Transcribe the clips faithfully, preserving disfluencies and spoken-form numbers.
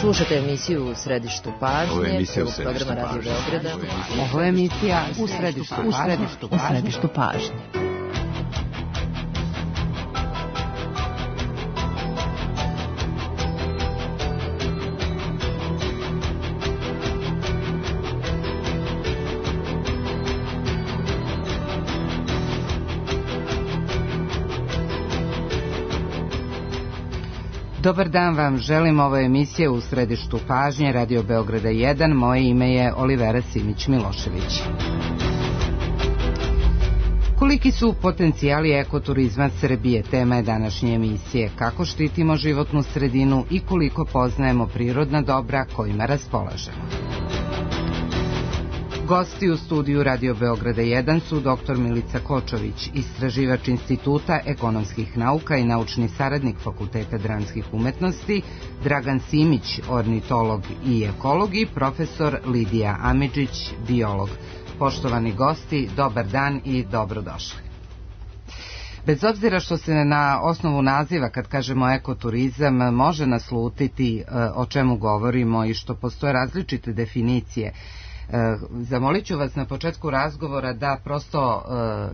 Slušate emisiju U središtu pažnje. Ovo je emisija U središtu pažnje. Ovo je emisija U središtu pažnje. U središtu pažnje. Dobar dan vam želim, ovo je emisija U središtu pažnje, Radio Beograda jedan, moje ime je Olivera Simić-Milošević. Koliki su potencijali ekoturizma Srbije, tema je današnje emisije. Kako štitimo životnu sredinu i koliko poznajemo prirodna dobra kojima raspolažemo. Gosti u studiju Radio Beograda jedan su doktor Milica Kočović, istraživač Instituta ekonomskih nauka i naučni saradnik Fakulteta dramskih umetnosti, Dragan Simić, ornitolog i ekolog i profesor Lidija Amidžić, biolog. Poštovani gosti, dobar dan i dobrodošli. Bez obzira što se na osnovu naziva, kad kažemo ekoturizam, može naslutiti o čemu govorimo i što postoje različite definicije, zamolit ću vas na početku razgovora da prosto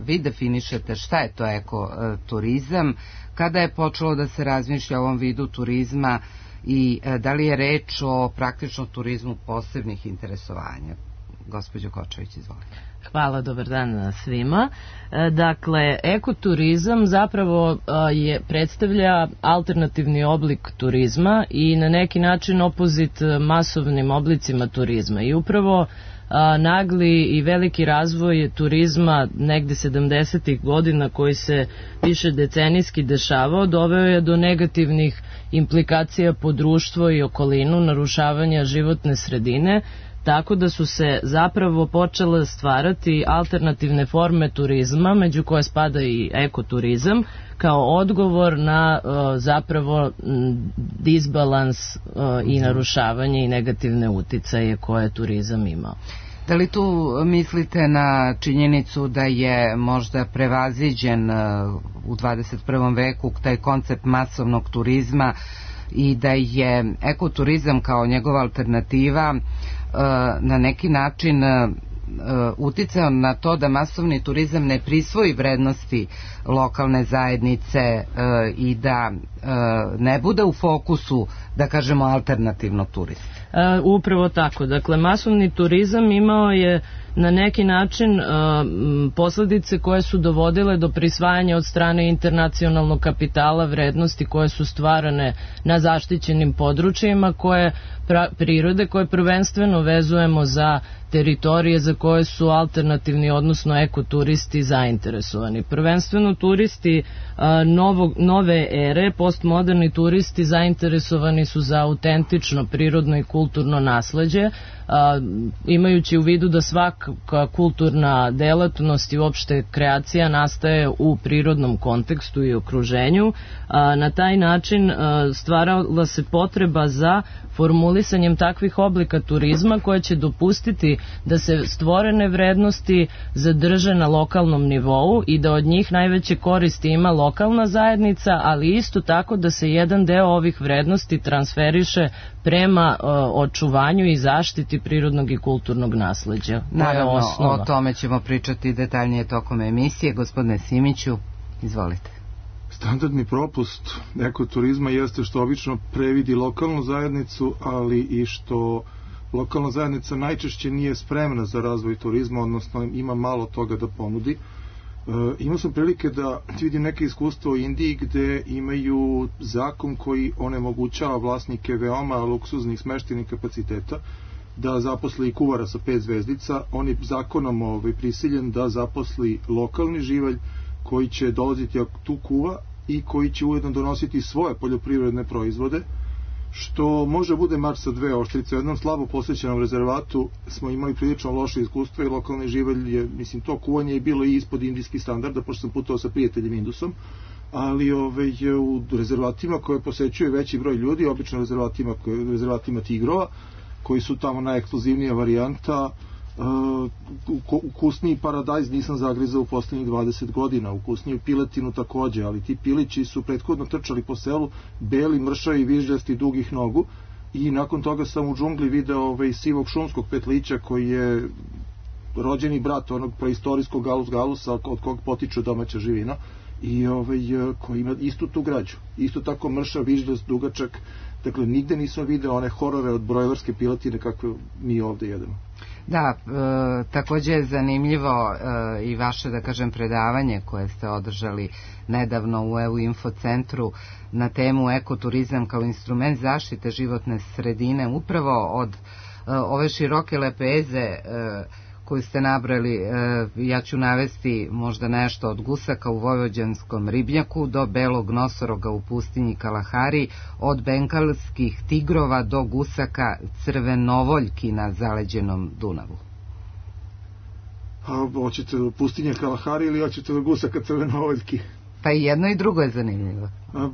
vi definišete šta je to ekoturizam, kada je počelo da se razmišlja o ovom vidu turizma i da li je reč o praktično turizmu posebnih interesovanja. Gospođo Kočović, izvolite. Hvala, dobar dan svima. Dakle, ekoturizam zapravo je, predstavlja alternativni oblik turizma i na neki način opozit masovnim oblicima turizma. I upravo a, nagli i veliki razvoj turizma negde sedamdesetih godina koji se više decenijski dešavao, doveo je do negativnih implikacija po društvo i okolinu, narušavanja životne sredine, tako da su se zapravo počele stvarati alternativne forme turizma, među koje spada i ekoturizam, kao odgovor na uh, zapravo disbalans uh, i narušavanje i negativne uticaje koje turizam imao. Da li tu mislite na činjenicu da je možda prevaziđen uh, u dvadeset prvom veku taj koncept masovnog turizma i da je ekoturizam kao njegova alternativa na neki način uticao na to da masovni turizam ne prisvoji vrednosti lokalne zajednice i da ne bude u fokusu, da kažemo, alternativnog turizma? Upravo tako. Dakle, masovni turizam imao je na neki način uh, posledice koje su dovodile do prisvajanja od strane internacionalnog kapitala vrednosti koje su stvarane na zaštićenim područjima koje pra, prirode koje prvenstveno vezujemo za teritorije za koje su alternativni, odnosno ekoturisti zainteresovani. Prvenstveno turisti uh, novog, nove ere, postmoderni turisti zainteresovani su za autentično prirodno i kulturno nasleđe, A, imajući u vidu da svaka kulturna delatnost i uopšte kreacija nastaje u prirodnom kontekstu i okruženju, a, na taj način a, stvarala se potreba za formulisanjem takvih oblika turizma koje će dopustiti da se stvorene vrednosti zadrže na lokalnom nivou i da od njih najveće koristi ima lokalna zajednica, ali isto tako da se jedan deo ovih vrednosti transferiše prema uh, očuvanju i zaštiti prirodnog i kulturnog nasleđa. Naravno, o tome ćemo pričati detaljnije tokom emisije. Gospodine Simiću, izvolite. Standardni propust ekoturizma jeste što obično previdi lokalnu zajednicu, ali i što lokalna zajednica najčešće nije spremna za razvoj turizma, odnosno ima malo toga da ponudi. E, imao sam prilike da vidim neke iskustvo u Indiji gde imaju zakon koji onemogućava vlasnike veoma luksuznih smeštajnih kapaciteta da zaposli kuvara sa pet zvezdica. On je zakonom ovaj, prisiljen da zaposli lokalni živalj koji će dolaziti tu kuva i koji će ujedno donositi svoje poljoprivredne proizvode, što može bude mač sa dve oštrice. U jednom slabo posvećenom rezervatu smo imali prilično loše iskustvo i lokalni živalj je, mislim, to kuvanje je bilo i ispod indijskih standarda, pošto sam putovao sa prijateljem Indusom, ali ove, u rezervatima koje posećuje veći broj ljudi, obično rezervatima, rezervatima tigrova, koji su tamo najekskluzivnija varijanta, Uh, ukusniji paradajz nisam zagrizao u poslednjih dvadeset godina, ukusniju piletinu takođe, ali ti pilići su prethodno trčali po selu, beli, mršavi, vižljasti, dugih nogu i nakon toga sam u džungli video ovaj, sivog šumskog petlića koji je rođeni brat onog preistorijskog galus galusa od kog potiče domaća živina i ovaj, koji ima istu tu građu, isto tako mršav, vižljast, dugačak. Dakle, nigde nisam video one horore od brojlerske piletine kakve mi ovde jedemo. Da, e, takođe je zanimljivo e, i vaše, da kažem, predavanje koje ste održali nedavno u E U Info centru na temu ekoturizam kao instrument zaštite životne sredine, upravo od e, ove široke lepeze e, koju ste nabrali. E, ja ću navesti možda nešto od gusaka u vojvođanskom ribnjaku do belog nosoroga u pustinji Kalahari, od bengalskih tigrova do gusaka crvenovoljki na zaleđenom Dunavu. A hoćete do pustinje Kalahari ili hoćete do gusaka crvenovoljki? Pa i jedno i drugo je zanimljivo. A,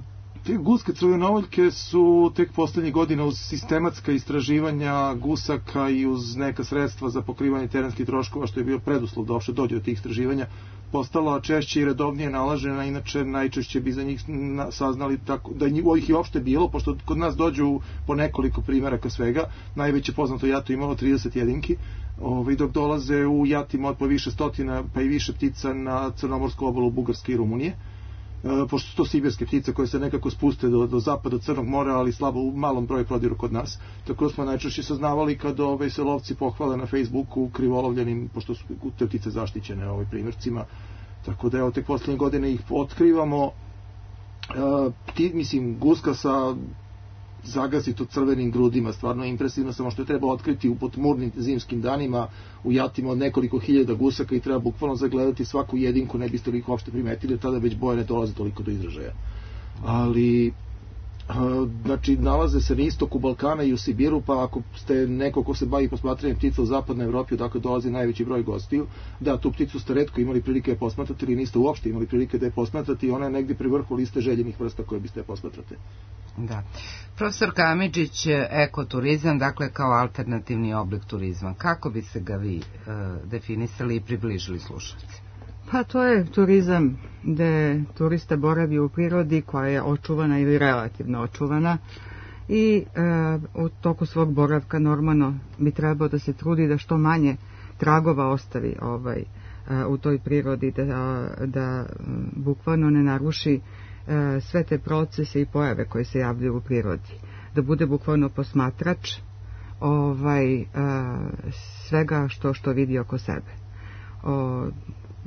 te guske crvenovoljke su tek poslednjih godina uz sistematska istraživanja gusaka i uz neka sredstva za pokrivanje terenskih troškova, što je bio preduslov da uopšte dođe do tih istraživanja, postala češće i redovnije nalažena. Inače najčešće bi za njih saznali tako, da ih je uopšte bilo, pošto kod nas dođu po nekoliko primjeraka svega. Najveće poznato jato imalo trideset jedinki, ovaj, dok dolaze u jatima od po više stotina pa i više ptica na crnomorsku obalu Bugarske i Rumunije. E, pošto su to sibirske ptice koje se nekako spuste do, do zapada Crnog mora, ali slabo u malom broju prodiru kod nas. Tako smo najčešće saznavali kad ovaj, se lovci pohvale na Facebooku krivolovljenim, pošto su te ptice zaštićene ovaj, primjercima. Tako da evo, tek poslednje godine ih otkrivamo. E, pti, mislim, guska sa zagasito crvenim grudima, stvarno impresivno, samo što je treba otkriti u potmurnim zimskim danima u jatima od nekoliko hiljada gusaka i treba bukvalno zagledati svaku jedinku, ne biste li ih uopšte primetili, tada već boje ne dolaze toliko do izražaja. Ali znači nalaze se na istoku Balkana i u Sibiru, pa ako ste neko ko se bavi posmatranjem ptica u zapadnoj Evropi, odakle dolazi najveći broj gostiju, da, tu pticu ste retko imali prilike da je posmatrate ili niste uopšte imali prilike da je posmatrate i ona je negdje pri vrhu liste željenih vrsta koje biste posmatrate. Da. Profesor Kamidžić, ekoturizam, dakle kao alternativni oblik turizma, kako bi se ga vi e, definisali i približili slušalci? Pa to je turizam gde turista boravi u prirodi koja je očuvana ili relativno očuvana i e, u toku svog boravka normalno bi trebao da se trudi da što manje tragova ostavi ovaj, e, u toj prirodi, da, da bukvalno ne naruši e, sve te procese i pojave koje se javljaju u prirodi, da bude bukvalno posmatrač ovaj, e, svega što, što vidi oko sebe. O,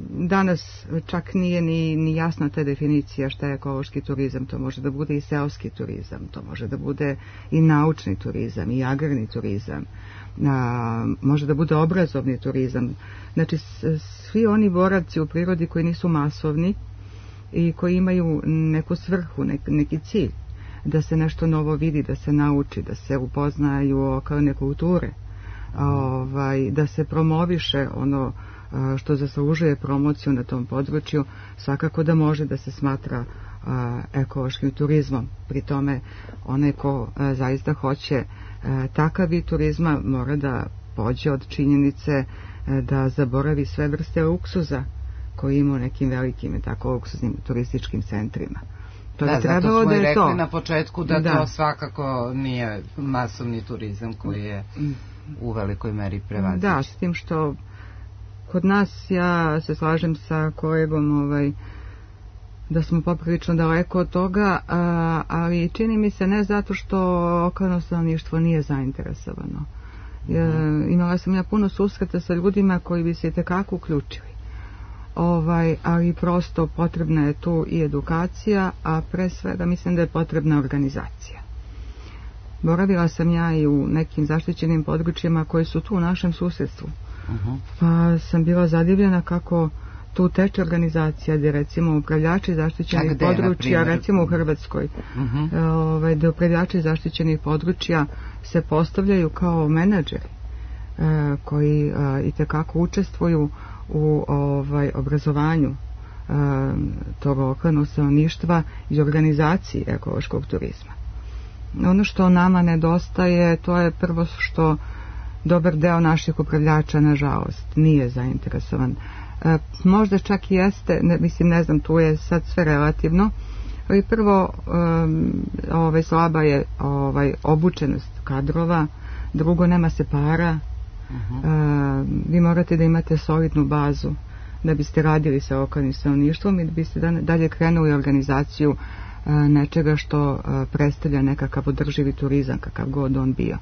danas čak nije ni, ni jasna ta definicija šta je ekološki turizam. To može da bude i seoski turizam, to može da bude i naučni turizam i agrarni turizam, a, može da bude obrazovni turizam. Znači svi oni boravci u prirodi koji nisu masovni i koji imaju neku svrhu, nek, neki cilj, da se nešto novo vidi, da se nauči, da se upoznaju lokalne kulture, ovaj, da se promoviše ono što zaslužuje promociju na tom području, svakako da može da se smatra a, ekološkim turizmom. Pri tome onaj ko a, zaista hoće a, takav vid turizma mora da pođe od činjenice a, da zaboravi sve vrste luksuza koji ima u nekim velikim i tako luksuznim turističkim centrima. To da, zato smo da i rekli to. na početku da, da to svakako nije masovni turizam koji je u velikoj meri prevaziđen. Da, s tim što kod nas, ja se slažem sa kolegom ovaj, da smo poprilično daleko od toga, a, ali čini mi se ne zato što lokalno stanovništvo nije zainteresovano. Ja, imala sam ja puno susreta sa ljudima koji bi se itekako uključili. Ovaj, ali prosto potrebna je tu i edukacija, a pre svega mislim da je potrebna organizacija. Boravila sam ja i u nekim zaštićenim područjima koji su tu u našem susjedstvu. Uh-huh. Pa sam bila zadivljena kako tu teče organizacija gdje recimo upravljači zaštićenih gde, područja, recimo u Hrvatskoj, uh-huh. ovaj, gdje upravljači zaštićenih područja se postavljaju kao menadžeri eh, koji eh, itekako učestvuju u ovaj, obrazovanju eh, tog lokalnog stanovništva i organizaciji ekološkog turizma. Ono što nama nedostaje, to je prvo što dobar deo naših upravljača, nažalost, nije zainteresovan. E, možda čak i jeste, ne, mislim, ne znam, tu je sad sve relativno, Ali prvo, um, ovaj, slaba je ovaj, obučenost kadrova, drugo, nema se para. Uh-huh. uh, vi morate da imate solidnu bazu da biste radili sa lokalnim stanovništvom i da biste dalje krenuli organizaciju uh, nečega što uh, predstavlja nekakav održivi turizam, kakav god on bio.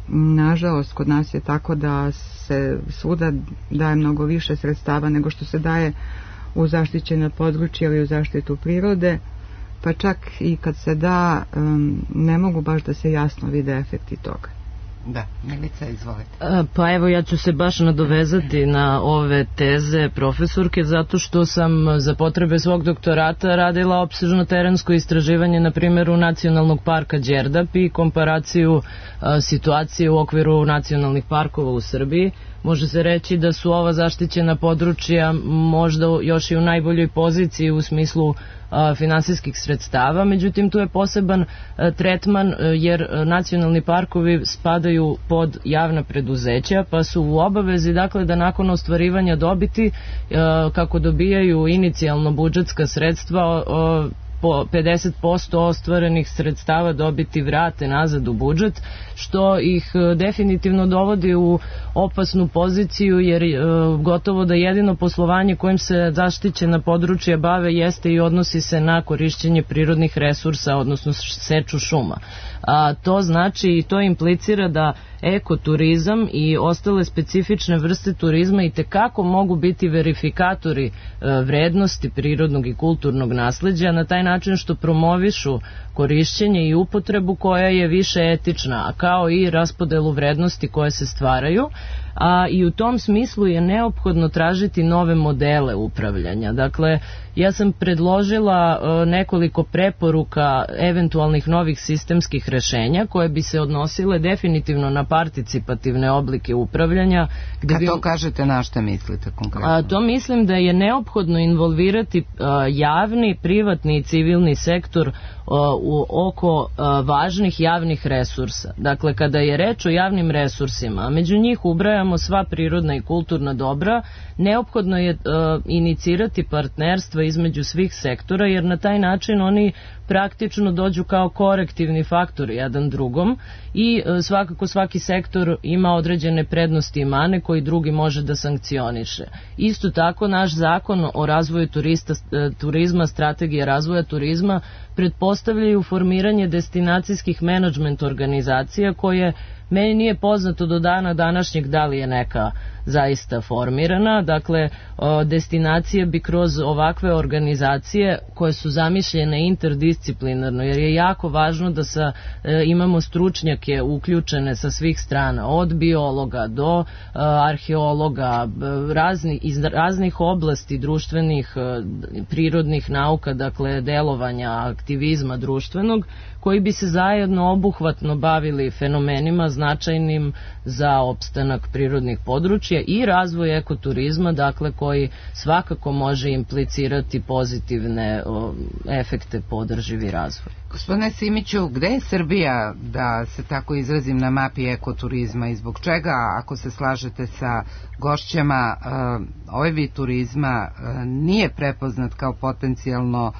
Nažalost, kod nas je tako da se svuda daje mnogo više sredstava nego što se daje u zaštićena područja ili u zaštitu prirode, pa čak i kad se da, um, ne mogu baš da se jasno vide efekti toga. Da, Milica, izvolite. Pa evo, ja ću se baš nadovezati na ove teze profesorke, zato što sam za potrebe svog doktorata radila opsežno terensko istraživanje na primjeru Nacionalnog parka Đerdap i komparaciju a, situacije u okviru nacionalnih parkova u Srbiji. Može se reći da su ova zaštićena područja možda još i u najboljoj poziciji u smislu a, finansijskih sredstava, međutim tu je poseban a, tretman a, jer a, nacionalni parkovi spadaju pod javna preduzeća, pa su u obavezi dakle da nakon ostvarivanja dobiti a, kako dobijaju inicijalno budžetska sredstva a, po pedeset posto ostvarenih sredstava dobiti vrate nazad u budžet, što ih definitivno dovodi u opasnu poziciju, jer e, gotovo da jedino poslovanje kojim se zaštićena područja bave jeste i odnosi se na korišćenje prirodnih resursa, odnosno seču šuma. A, to znači i to implicira da ekoturizam i ostale specifične vrste turizma i tekako mogu biti verifikatori e, vrednosti prirodnog i kulturnog nasleđa na taj način što promovišu korišćenje i upotrebu koja je više etična, kao i raspodelu vrednosti koje se stvaraju, a i u tom smislu je neophodno tražiti nove modele upravljanja. Dakle, ja sam predložila e, nekoliko preporuka eventualnih novih sistemskih rešenja koje bi se odnosile definitivno na participativne oblike upravljanja. Gde Kad bi... to kažete, na šta mislite konkretno? A, to mislim da je neophodno involvirati a, javni, privatni i civilni sektor a, u, oko a, važnih javnih resursa. Dakle, kada je reč o javnim resursima, a među njih ubrajamo sva prirodna i kulturna dobra, neophodno je a, inicirati partnerstva između svih sektora, jer na taj način oni praktično dođu kao korektivni faktor jedan drugom i e, svakako svaki sektor ima određene prednosti i mane koji drugi može da sankcioniše. Isto tako naš zakon o razvoju turista, e, turizma, strategija razvoja turizma pretpostavljaju formiranje destinacijskih menadžment organizacija koje meni nije poznato do dana današnjeg da li je neka zaista formirana. Dakle, destinacije bi kroz ovakve organizacije koje su zamišljene interdisciplinarno, jer je jako važno da sa, e, imamo stručnjake uključene sa svih strana, od biologa do e, arheologa, razni, iz raznih oblasti društvenih, e, prirodnih nauka, dakle delovanja, aktivizma društvenog, koji bi se zajedno obuhvatno bavili fenomenima značajnim za opstanak prirodnih područja i razvoj ekoturizma, dakle koji svakako može implicirati pozitivne o, efekte po održivi razvoj. Gospodine Simiću, gde je Srbija, da se tako izrazim, na mapi ekoturizma i zbog čega, ako se slažete sa gošćama, ovaj vid turizma nije prepoznat kao potencijalno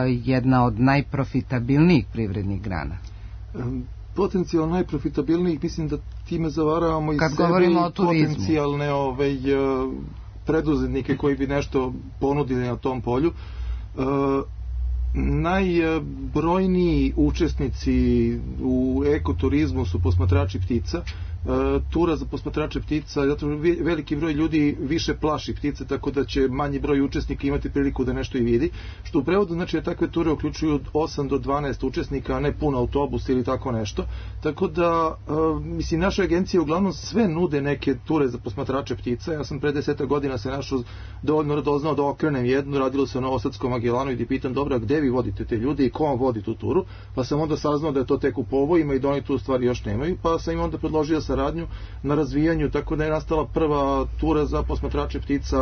jedna od najprofitabilnijih privrednih grana? Potencijalno najprofitabilnijih, mislim da time zavaravamo i Kad sebe i potencijalne ovaj, preduzetnike koji bi nešto ponudili na tom polju. Najbrojniji učesnici u ekoturizmu su posmatrači ptica. Tura za posmatrače ptica, zato veliki broj ljudi više plaši ptice, tako da će manji broj učesnika imati priliku da nešto i vidi, što u prevodu znači da takve ture uključuju od osam do dvanaest učesnika, a ne pun autobus ili tako nešto, tako da mislim, naša agencija uglavnom sve nude neke ture za posmatrače ptica. Ja sam pre deseta godina se našao dovoljno radoznao da okrenem jednu, radilo se o Novosadskom Magellanu i da pitam, dobra, gde vi vodite te ljude i ko vam vodi tu turu, pa sam onda saznao da je to tek u povojima i da oni tu stvari još nemaju, pa sam im onda predložio saradnju na razvijanju, tako da je nastala prva tura za posmatrače ptica,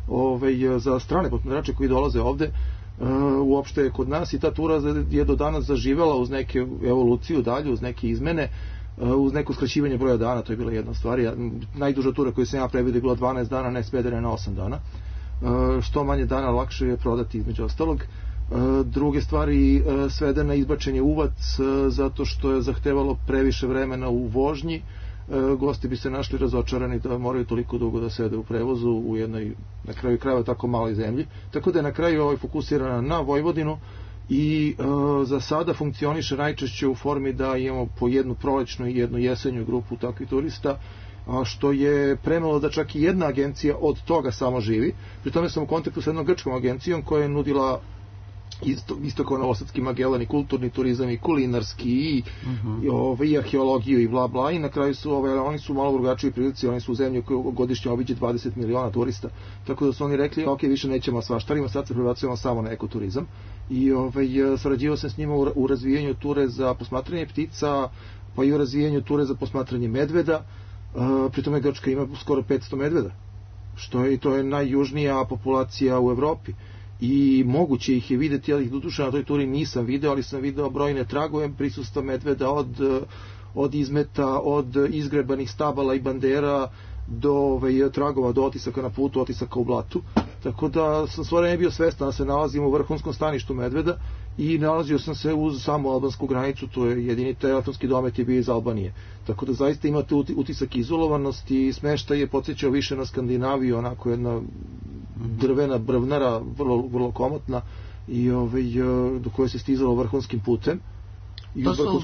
ovaj, za strane posmatrače koji dolaze ovde uh, uopšte kod nas, i ta tura je do danas zaživela uz neke evoluciju dalje, uz neke izmene, uh, uz neko skraćivanje broja dana. To je bila jedna stvar. Ja, najduža tura koju sam ja previdio je bila dvanaest dana, ne svedena na osam dana. Uh, što manje dana lakše je prodati, između ostalog. druge stvari svede na izbačenje uvac zato što je zahtevalo previše vremena u vožnji. Gosti bi se našli razočarani da moraju toliko dugo da sede u prevozu u jednoj, na kraju krajeva, tako maloj zemlji. Tako da je na kraju ovaj fokusirana na Vojvodinu i e, za sada funkcioniše najčešće u formi da imamo po jednu prolećnu i jednu jesenju grupu takvih turista, a što je premalo da čak i jedna agencija od toga samo živi. Pri tome sam u kontaktu sa jednom grčkom agencijom koja je nudila isto, isto kao Novosadski Magellan i kulturni turizam i kulinarski i, uh-huh. i, ove, i arheologiju i bla bla, i na kraju su ove, oni su malo drugačiji prilici, oni su u zemlji koju godišnje obiđe dvadeset miliona turista, tako da su oni rekli ok, više nećemo svaštarimo, sad se prebacujemo samo na ekoturizam i ove, sarađivao sam s njima u, u razvijanju ture za posmatranje ptica, pa i u razvijanju ture za posmatranje medveda. Uh, pri tome Grčka ima skoro petsto medveda, što je, to je najjužnija populacija u Evropi i moguće ih je videti, ja ih doduše na toj turi nisam video, ali sam video brojne tragove prisustva medveda od, od izmeta, od izgrebanih stabala i bandera do ove, tragova, do otisaka na putu, otisaka u blatu, tako da sam stvarno ne bio svestan da se nalazim u vrhunskom staništu medveda i nalazio sam se uz samu albansku granicu, to je jedini telefonski domet je bio iz Albanije, tako da zaista imate utisak izolovanosti i smeštaj je podsjećao više na Skandinaviju, onako jedna drvena brvnara, vrlo, vrlo komotna i ovaj, do koje se stizalo vrhunskim putem. To su,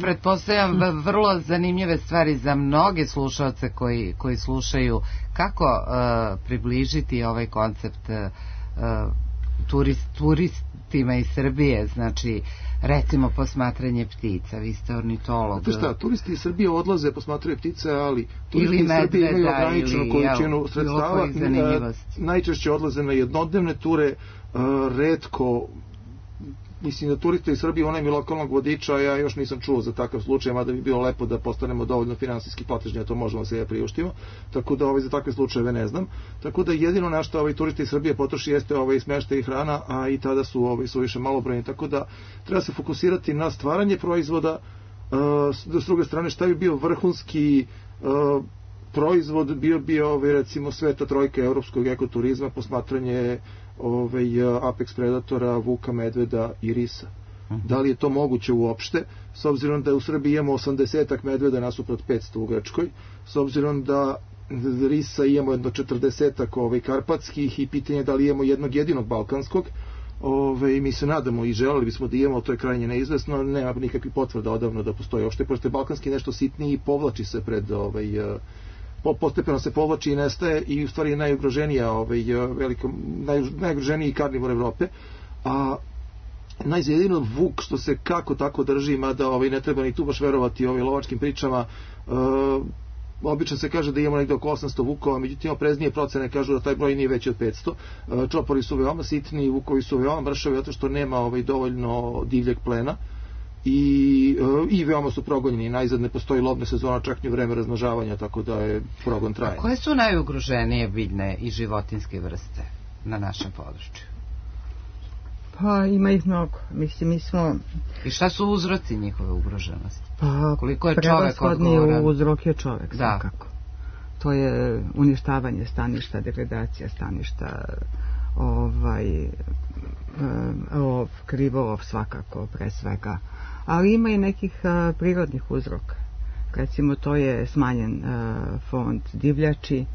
pretpostavljam, vrlo zanimljive stvari za mnoge slušalce koji, koji slušaju. Kako uh, približiti ovaj koncept uh, turist, turistima iz Srbije, znači recimo posmatranje ptica, vi ste ornitolog. Znate šta, turisti iz Srbije odlaze posmatraju ptice, ali turisti iz Srbije imaju ograničenu količinu sredstava, najčešće odlaze na jednodnevne ture, uh, retko. Mislim da turiste iz Srbije, onaj mi lokalnog vodiča, ja još nisam čuo za takav slučaj, mada bi bilo lepo da postanemo dovoljno finansijski platežni, a to možemo se ja priuštimo, tako da ovaj, za takve slučajeve ne znam. Tako da jedino na što ovaj, turisti iz Srbije potroši jeste ovaj, smještaj i hrana, a i tada su, ovaj, su više malobrojni, tako da treba se fokusirati na stvaranje proizvoda, uh, s druge strane šta bi bio vrhunski uh, proizvod, bio bi ovaj, recimo sveta trojka evropskog ekoturizma, posmatranje ovaj, apex predatora, vuka, medveda i risa. Uh-huh. Da li je to moguće uopšte, s obzirom da u Srbiji imamo osamdesetak medveda nasuprot petsto u Grčkoj, s obzirom da risa imamo jedno četrdesetak ovaj, karpatskih i pitanje da li imamo jednog jedinog balkanskog. Ove, mi se nadamo i želeli bismo da imamo, to je krajnje neizvesno, nema nikakvih potvrda odavno da postoji uopšte, pošto je balkanski nešto sitniji i povlači se pred ovaj, postepeno se povlači i nestaje i u stvari je najugroženija ovaj, veliko, naj, najugroženiji karnivor Evrope, a najzjedino vuk što se kako tako drži, mada ovaj, ne treba ni tu baš verovati ovaj, lovačkim pričama. uh, obično se kaže da imamo negde oko osamsto vukova, međutim opreznije procene kažu da taj broj nije veći od petsto. uh, čopori su veoma sitni, vukovi su veoma mršavi zato što nema ovaj, dovoljno divljeg plena i, i veoma su progonjeni. Najzad ne postoji lovna sezona čak ni u vreme razmnožavanja, tako da je progon trajan. A koje su najugroženije biljne i životinske vrste na našem području? Pa ima ih mnogo. Mislim, mi smo... I šta su uzroci njihove ugroženosti? Pa, koliko je čovek odgovoran? Prevashodni uzrok je čovek, svakako. To je uništavanje staništa, degradacija staništa, ovaj, lov, krivolov svakako pre svega. Ali ima i nekih a, prirodnih uzroka. Recimo, to je smanjen a, fond divljači,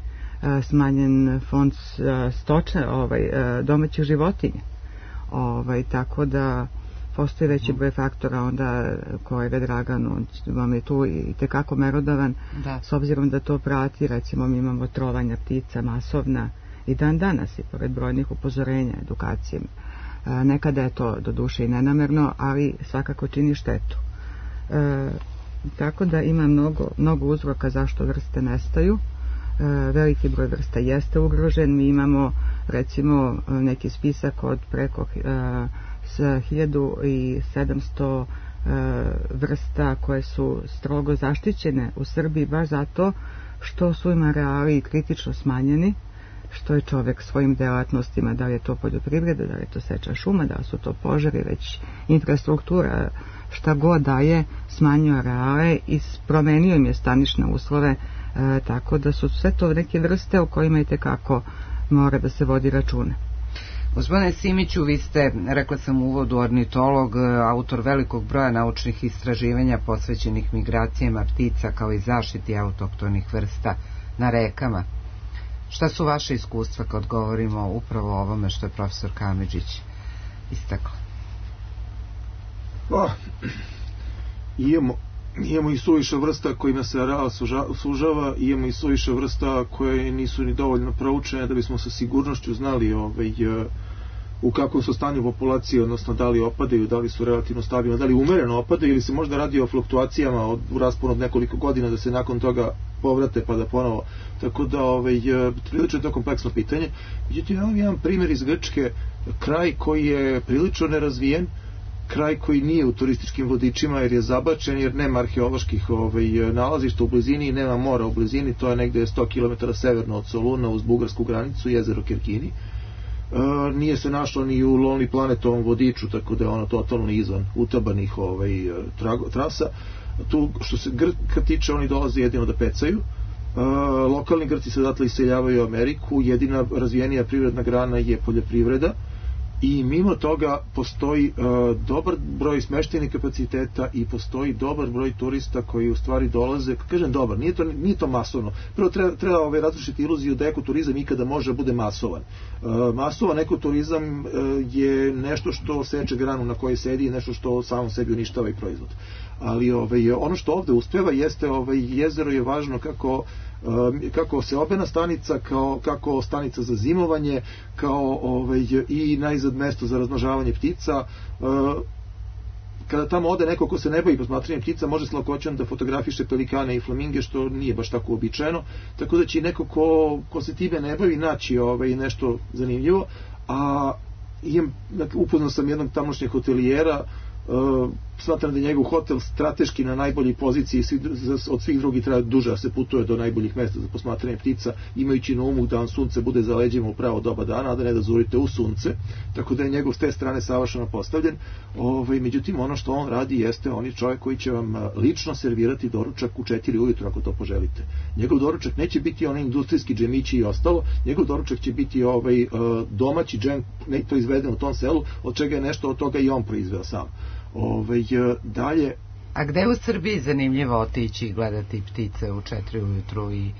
a, smanjen fond a, stočne, ovaj, a, domaćih životinja. Ovaj, tako da postoji veći broj faktora, onda kolega Dragan, on vam je tu i tekako merodavan, da. S obzirom da to prati, recimo mi imamo trovanja ptica masovna i dan danas i pored brojnih upozorenja, edukacije. E, nekada je to do duše i nenamerno, ali svakako čini štetu. E, tako da ima mnogo, mnogo uzroka zašto vrste nestaju. E, veliki broj vrsta jeste ugrožen. Mi imamo recimo neki spisak od preko e, s hiljadu sedamsto e, vrsta koje su strogo zaštićene u Srbiji baš zato što su im areali kritično smanjeni, što je čovjek svojim delatnostima, da li je to poljoprivreda, da li je to seča šuma, da li su to požari, već infrastruktura, šta god daje, smanjio areale i promenio im je stanišne uslove, e, tako da su sve to neke vrste o kojima i tekako mora da se vodi račune. Gospodine Simiću, vi ste, rekla sam u uvodu, ornitolog, autor velikog broja naučnih istraživanja posvećenih migracijama ptica kao i zaštiti autohtonih vrsta na rekama. Šta su vaše iskustva kad govorimo upravo o ovome što je profesor Kamidžić istakla? Pa, imamo, imamo i suviše vrsta kojima se areal sužava, imamo i suviše vrsta koje nisu ni dovoljno proučene da bismo sa sigurnošću znali ovaj, u kakvom su stanju populacije, odnosno da li opadaju, da li su relativno stabilne, da li umereno opadaju ili se možda radi o fluktuacijama od, u rasponu od nekoliko godina da se nakon toga povrate pa da ponovo. Tako da ovaj, prilično je to kompleksno pitanje. Međutim, imam jedan primjer iz Grčke, kraj koji je prilično nerazvijen, kraj koji nije u turističkim vodičima jer je zabačen, jer nema arheoloških ovaj, nalazišta u blizini i nema mora u blizini, to je negde sto kilometara severno od Soluna uz bugarsku granicu, jezero Kerkini. E, nije se našlo ni u Lonely Planetovom vodiču, tako da je ono totalno izvan utabanih ovaj, trago, trasa. Tu što se Grka tiče, oni dolaze jedino da pecaju. E, lokalni Grci se odatle iseljavaju u Ameriku, jedina razvijenija privredna grana je poljoprivreda. I mimo toga postoji uh, dobar broj smeštajnih kapaciteta i postoji dobar broj turista koji u stvari dolaze, kažem dobar, nije to, nije to masovno. Prvo treba, treba ovaj, različiti iluziju da ekoturizam ikada može da bude masovan. Uh, masovan ekoturizam uh, je nešto što seče granu na kojoj sedi i nešto što samom sebi uništava i proizvod. Ali ovaj, ono što ovde uspeva jeste, ovaj, jezero je važno kako kako seobena stanica, kao, kako stanica za zimovanje, kao ovaj, i najzad mesto za razmnožavanje ptica. Kada tamo ode neko ko se ne bavi posmatranjem ptica, može s lakoćom da fotografiše pelikane i flaminge, što nije baš tako uobičajeno, tako da će neko ko, ko se time ne bavi naći ovaj, nešto zanimljivo. A imam, upoznao sam jednog tamošnjeg hotelijera. Uh, smatram da je njegov hotel strateški na najboljoj poziciji, od svih drugih treba duže da se putuje do najboljih mesta za posmatranje ptica, imajući na umu da vam sunce bude za leđima u pravo doba dana, a da ne da zurite u sunce, tako da je njegov s te strane savršeno postavljen. Ovaj, međutim, ono što on radi jeste, on je čovjek koji će vam lično servirati doručak u četiri ujutro ako to poželite. Njegov doručak neće biti onaj industrijski džemići i ostalo, njegov doručak će biti ovaj, domaći džem proizveden u tom selu, od čega je nešto od toga i on proizveo sam. Ove, dalje. A gde u Srbiji zanimljivo otići i gledati ptice u četiri ujutru i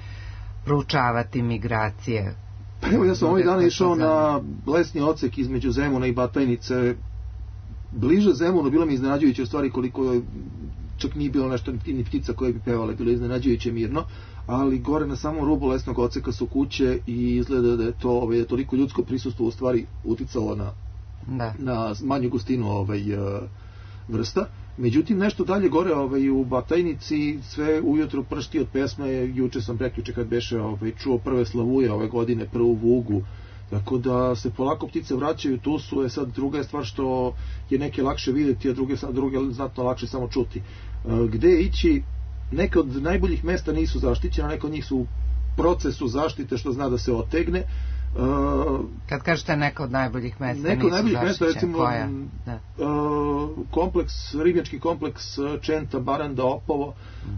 proučavati migracije? Pa evo, ja sam ovih dana išao na lesni odsek između Zemuna i Batajnice. Bliže Zemunu bilo mi iznenađujuće u stvari koliko čak nije bilo nešto ni ptica koje bi pevale, bilo iznenađujuće mirno, ali gore na samom rubu lesnog odseka su kuće i izgleda da je to ovaj, toliko ljudsko prisustvo u stvari uticalo na, da. na manju gustinu ovaj, vrsta. Međutim, nešto dalje gore ovaj, u Batajnici sve ujutro pršti od pesme. Juče sam prekjuče kad beše ovaj, čuo prve slavuje ove godine, prvu vugu, tako da se polako ptice vraćaju, tu su. Je sad druga je stvar što je neke lakše vidjeti, a druge, druge znatno lakše samo čuti. Gde ići? Neke od najboljih mesta nisu zaštićena, neke od njih su u procesu zaštite, što zna da se otegne. Uh, Kad kažete neka od najboljih mesta neka od najboljih mesta, recimo da. uh, kompleks, ribnjački kompleks Čenta, Baranda, Opovo,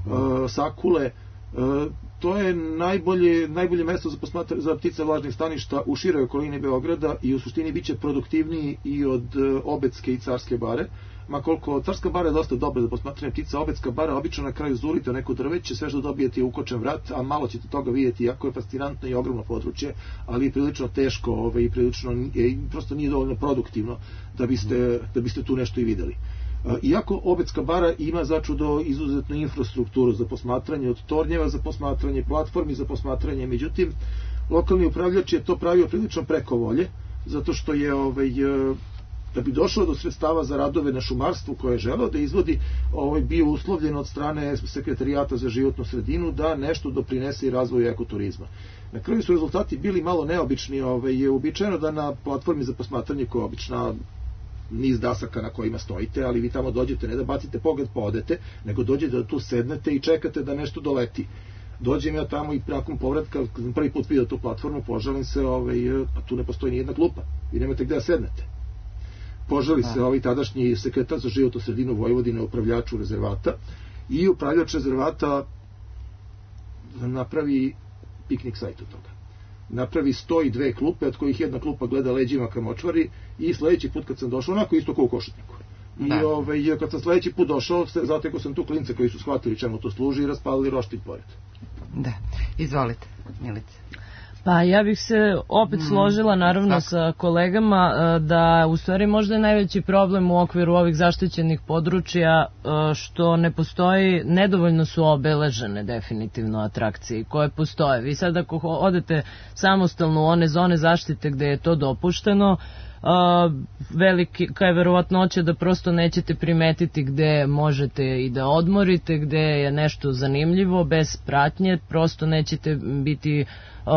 uh-huh. uh, Sakule, uh, to je najbolje, najbolje mesto za, posmatra, za ptice vlažnih staništa u široj okolini Beograda i u suštini biće produktivniji i od uh, Obedske i Carske bare. Ma koliko Carska bara je dosta dobra za posmatranje ptica, Obedska bara obično na kraju zurite u neko drveće, sve što dobijete je ukočen vrat, a malo ćete toga vidjeti, jako je fascinantno i ogromno područje, ali je prilično teško ove, i prilično je, prosto nije dovoljno produktivno da biste, da biste tu nešto i videli. Iako Obedska bara ima začudo izuzetnu infrastrukturu za posmatranje, od tornjeva za posmatranje, platformi za posmatranje, međutim lokalni upravljač je to pravio prilično preko volje, zato što je ovaj, da bi došlo do sredstava za radove na šumarstvu koje je želeo da izvodi, ovaj, bio uslovljen od strane Sekretarijata za životnu sredinu da nešto doprinese i razvoju ekoturizma. Na kraju su rezultati bili malo neobični. Ovaj, je uobičajeno da na platformi za posmatranje, koja je obična niz dasaka na kojima stojite, ali vi tamo dođete ne da bacite pogled pa odete, nego dođete da tu sednete i čekate da nešto doleti. Dođem ja tamo i nakon povratka, kad sam prvi put vidio tu platformu, požalim se, ovaj, a tu ne postoji ni jedna klupa, vi nemate gde da sednete. Požali se ovaj tadašnji sekretar za životnu sredinu Vojvodine upravljaču rezervata i upravljač rezervata napravi piknik sajt od toga. napravi sto i dve klupe, od kojih jedna klupa gleda leđima ka močvari, i sledeći put kad sam došao, onako isto kao u Košutnjaku. I da. Ove, kad sam sledeći put došao, zatekao sam tu klince koji su shvatili čemu to služi i raspalili roštilj pored. Da, izvolite, Milice. Pa ja bih se opet složila naravno Tako. sa kolegama da u stvari možda je najveći problem u okviru ovih zaštićenih područja što ne postoji, nedovoljno su obeležene definitivno atrakcije koje postoje. Vi sad ako odete samostalno u one zone zaštite gde je to dopušteno, Uh, velika je verovatnoća da prosto nećete primetiti gde možete i da odmorite, gde je nešto zanimljivo, bez pratnje, prosto nećete biti uh,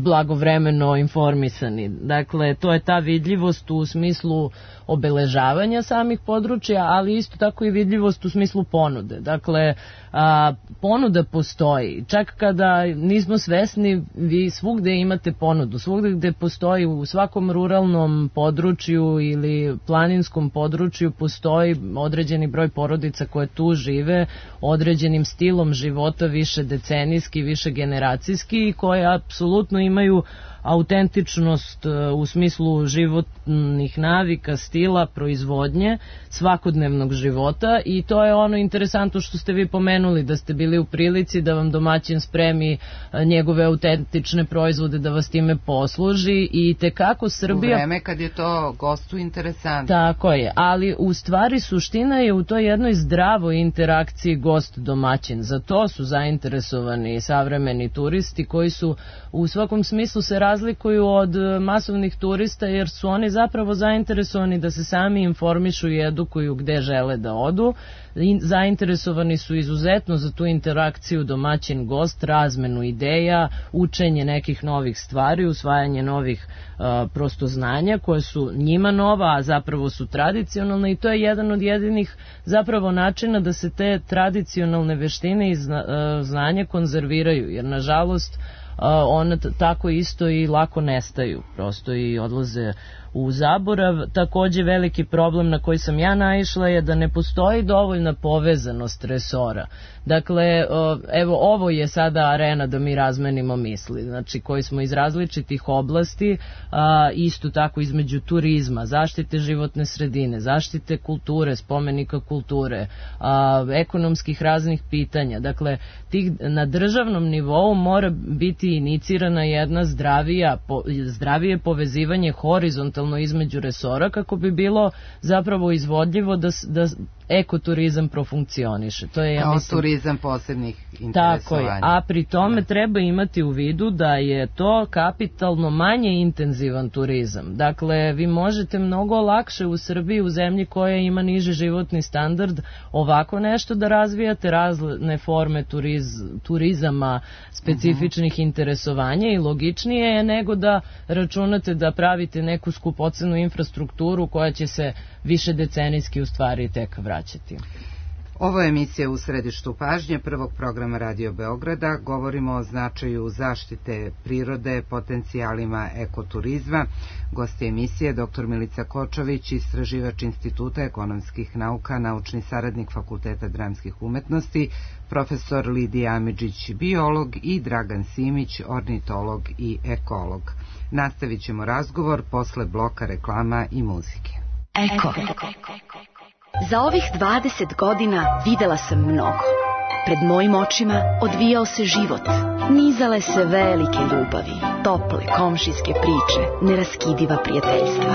blagovremeno informisani. Dakle, to je ta vidljivost u smislu obeležavanja samih područja, ali isto tako i vidljivost u smislu ponude. Dakle, a, ponuda postoji. Čak kada nismo svesni, vi svugde imate ponudu. Svugde gde postoji, u svakom ruralnom području ili planinskom području postoji određeni broj porodica koje tu žive, određenim stilom života, više decenijski, više generacijski, i koje apsolutno imaju autentičnost u smislu životnih navika, stila, proizvodnje, svakodnevnog života, i to je ono interesantno što ste vi pomenuli, da ste bili u prilici da vam domaćin spremi njegove autentične proizvode, da vas time posluži, i tekako Srbija... U vreme kad je to gostu interesantno. Tako je, ali u stvari suština je u toj jednoj zdravoj interakciji gost-domaćin. Za to su zainteresovani savremeni turisti koji su u svakom smislu se razlikuju od masovnih turista, jer su oni zapravo zainteresovani da se sami informišu i edukuju gde žele da odu. Zainteresovani su izuzetno za tu interakciju domaćin-gost, razmenu ideja, učenje nekih novih stvari, usvajanje novih uh, prosto znanja koje su njima nova, a zapravo su tradicionalne, i to je jedan od jedinih zapravo načina da se te tradicionalne veštine i zna, uh, znanja konzerviraju, jer nažalost one tako isto i lako nestaju, prosto i odlaze u zaborav. Takođe veliki problem na koji sam ja naišla je da ne postoji dovoljna povezanost resora. Dakle, evo, ovo je sada arena da mi razmenimo misli, znači koji smo iz različitih oblasti, isto tako između turizma, zaštite životne sredine, zaštite kulture, spomenika kulture, ekonomskih raznih pitanja. Dakle, tih, na državnom nivou mora biti inicirana jedna zdravija, zdravije povezivanje horizontalno između resora, kako bi bilo zapravo izvodljivo da, da ekoturizam profunkcioniše. To je, ja Kao mislim, turizam posebnih interesovanja. Tako je, a pri tome da. treba imati u vidu da je to kapitalno manje intenzivan turizam. Dakle, vi možete mnogo lakše u Srbiji, u zemlji koja ima niži životni standard, ovako nešto da razvijate, razne forme turiz, turizama, specifičnih uh-huh. interesovanja, i logičnije je nego da računate da pravite neku skupocenu infrastrukturu koja će se više decenijski u stvari tek vraćati. Ovo je emisija U središtu pažnje prvog programa Radio Beograda. Govorimo o značaju zaštite prirode, potencijalima ekoturizma. Gost je emisije doktor Milica Kočović, istraživač Instituta ekonomskih nauka, naučni saradnik Fakulteta dramskih umetnosti, profesor Lidija Amidžić, biolog, i Dragan Simić, ornitolog i ekolog. Nastavit ćemo razgovor posle bloka reklama i muzike. Eko. Za ovih dvadeset godina videla sam mnogo. Pred mojim očima odvijao se život. Nizale se velike ljubavi, tople komšijske priče, neraskidiva prijateljstva.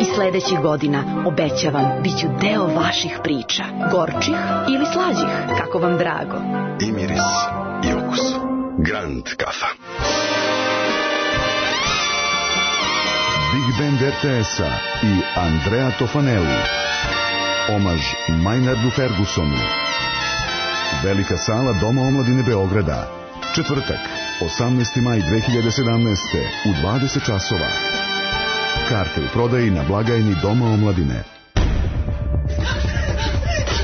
I sledećih godina, obećavam, bit ću deo vaših priča. Gorčih ili slađih, kako vam drago. I miris, i okus. Grand kafa. Big Band er te es-a i Andrea Tofanelli. Omaž Maynardu Fergusonu. Velika sala Doma omladine Beograda. Četvrtak, osamnaesti maj dve hiljade sedamnaeste. u dvadeset časova. Karte u prodaji na blagajni Doma omladine.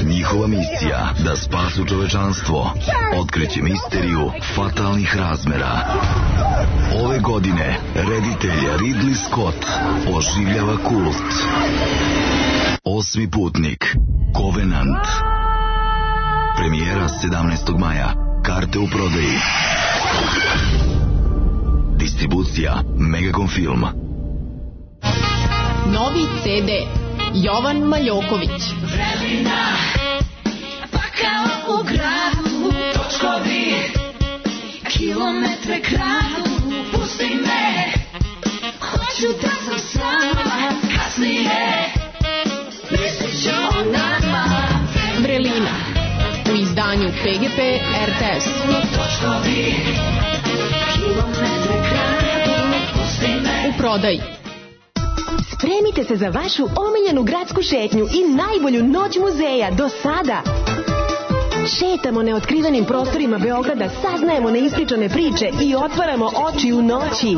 Njihova misija da spasu čovečanstvo otkriće misteriju fatalnih razmera. Ove godine reditelj Ridley Scott oživljava kult. Osmi putnik, Covenant. Premijera sedamnaestog maja. Karte u prodaji. Distribucija Megacom Film. Novi ce de Jovan Maljoković. Vremena, pa kao u gradu, točkovi, kilometre kradu, pusti me, hoću da sam sama, kasnije, mislit ću o nama. Vrelina, u izdanju pe ge pe er te es. Točkovi, kilometre kradu, pusti me. U prodaji. Spremite se za vašu omiljenu gradsku šetnju i najbolju noć muzeja do sada. Šetamo neotkrivenim prostorima Beograda, saznajemo neispričane priče i otvaramo oči u noći.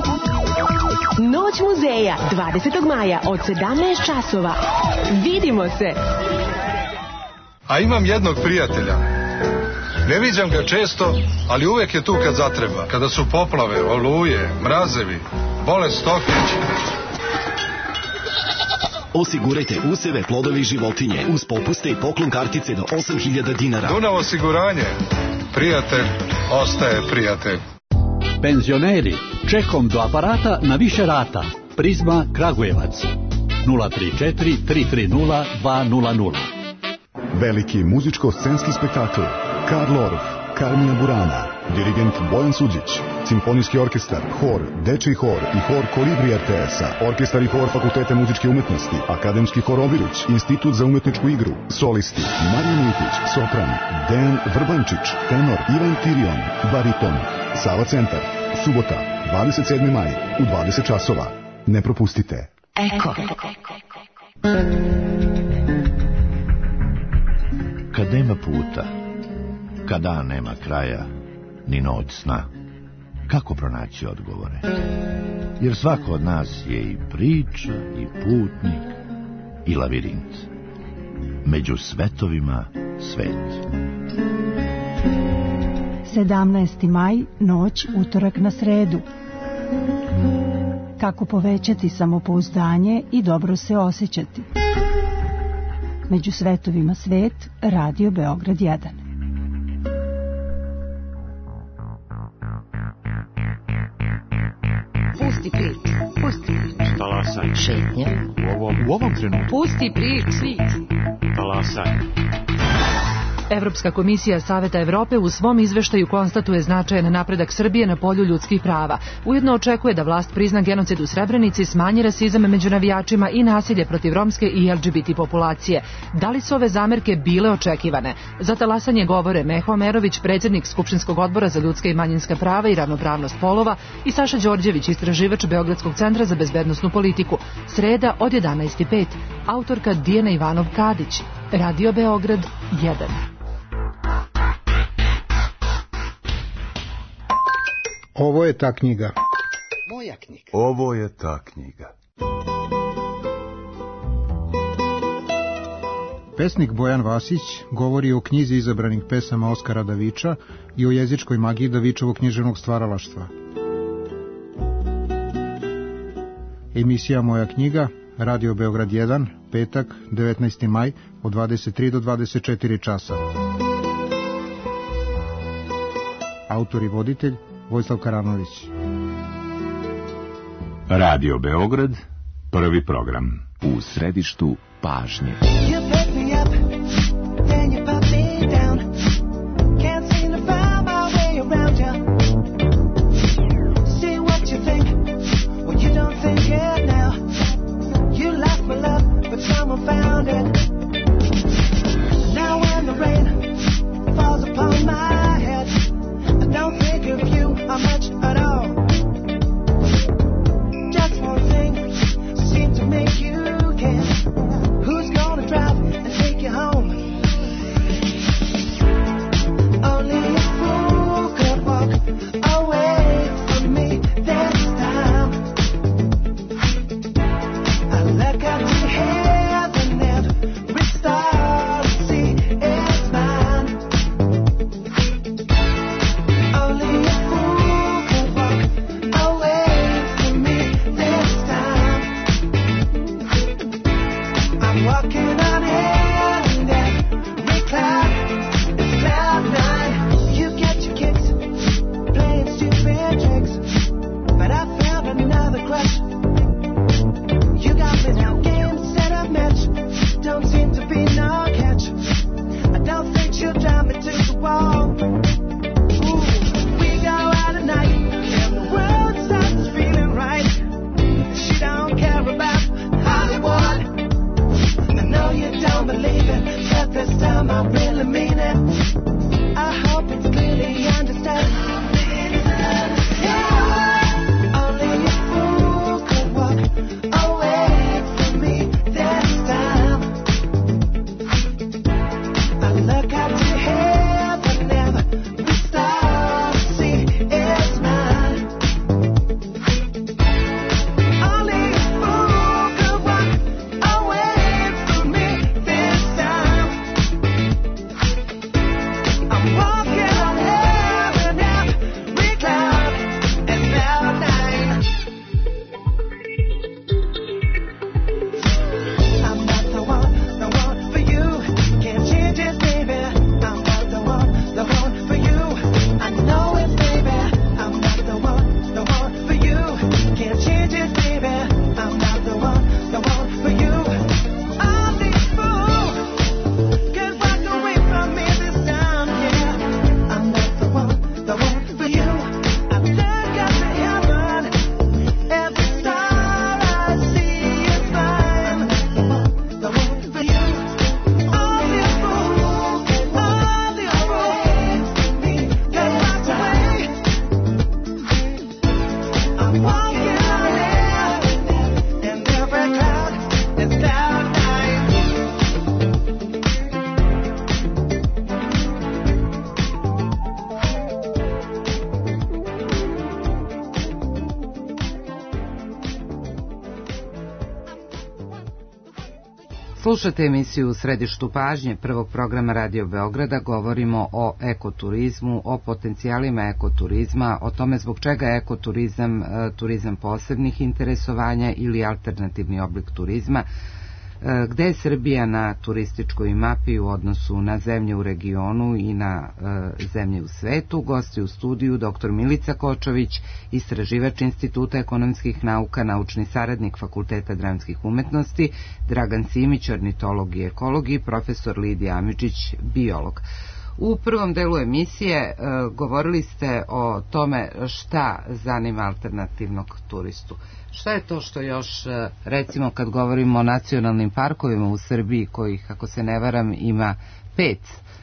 Noć muzeja, dvadesetog maja od sedamnaest časova. Vidimo se! A imam jednog prijatelja. Ne viđam ga često, ali uvek je tu kad zatreba. Kada su poplave, oluje, mrazevi, bolest stokić. Osigurajte useve, plodovi i životinje uz popuste i poklon kartice do osam hiljada dinara. Dunav osiguranje. Prijatelj ostaje prijatelj. Penzioneri, čekom do aparata na više rata. Prizma Kragujevac. nula tri četiri tri tri nula dva nula nula. Veliki muzičko-scenski spektakl Karl Orff, Carmina Burana, dirigent Bojan Suđić, simfonijski orkestar, hor, dečiji hor i hor Kolibri er te es-a, orkestar i hor Fakulteta muzičke umetnosti, akademski hor Obiruć, institut za umetničku igru, solisti, Marija Militić, sopran, Dejan Vrbančić, tenor, Ivan Tirion, bariton, Sava centar, subota, dvadeset sedmi maj, u dvadeset časova. Ne propustite. Eko. Kad nema puta, kad dan nema kraja, ni noć sna, kako pronaći odgovore? Jer svako od nas je i priča, i putnik, i lavirint. Među svetovima svet. sedamnaesti maj, noć, utorak na sredu. Kako povećati samopouzdanje i dobro se osjećati? Među svetovima svet, Radio Beograd jedan. Pusti prič, pusti prič. Talasaj. Šetnja. U ovom, u ovom trenutku. Pusti prič. Talasaj. Evropska komisija Saveta Evrope u svom izveštaju konstatuje značajan napredak Srbije na polju ljudskih prava. Ujedno očekuje da vlast prizna genocid u Srebrenici, smanji rasizam među navijačima i nasilje protiv romske i el ge be te populacije. Da li su ove zamerke bile očekivane? Za talasanje govore Meho Amerović, predsjednik Skupštinskog odbora za ljudska i manjinska prava i ravnopravnost polova, i Saša Đorđević, istraživač Beogradskog centra za bezbednosnu politiku. Sreda od jedanaest i pet. Autorka Dijana Ivanov-Kadić. Radio Beograd jedan. Ovo je ta knjiga. Moja knjiga. Ovo je ta knjiga. Pesnik Bojan Vasić govori o knjizi izabranih pesama Oskara Daviča i o jezičkoj magiji Davičevog književnog stvaralaštva. Emisija Moja knjiga, Radio Beograd jedan, petak, devetnaesti maj, od dvadeset tri do dvadeset četiri časa. Autor i voditelj Vojislav Karanović. Radio Beograd, prvi program. U središtu pažnje. Just one thing seemed to make you care. Who's gonna drive this time I really mean it. I hope it's clearly understood. Yeah, only a fool could walk away from me this time. I look up to heaven, every star I see is mine. Only a fool could walk away from me this time. I'm walking on heaven, every cloud is cloud nine. I'm not the one, the one for you. Can't change it, baby. I'm not the one, the one for you. I know it, baby. I'm not the one, the one for you. Can't change it, baby. I'm not the one, the one for you. Only a fool could walk away from me this time, yeah. I'm not the one, the one for you. I look up to heaven, every star I see is mine. The one for you. Only a fool, only a fool could walk away. I'm walking on air, and every cloud is cloud nine. Slušate emisiju U središtu pažnje prvog programa Radio Beograda. Govorimo o ekoturizmu, o potencijalima ekoturizma, o tome zbog čega je ekoturizam e, turizam posebnih interesovanja ili alternativni oblik turizma, e, gde je Srbija na turističkoj mapi u odnosu na zemlje u regionu i na e, zemlje u svetu. Gosti u studiju doktor Milica Kočović, istraživač Instituta ekonomskih nauka, naučni saradnik Fakulteta dramskih umetnosti, Dragan Simić, ornitolog i ekolog i profesor Lidija Amidžić, biolog. U prvom delu emisije e, govorili ste o tome šta zanima alternativnog turistu. Šta je to što još, e, recimo kad govorimo o nacionalnim parkovima u Srbiji, kojih, ako se ne varam, ima pet,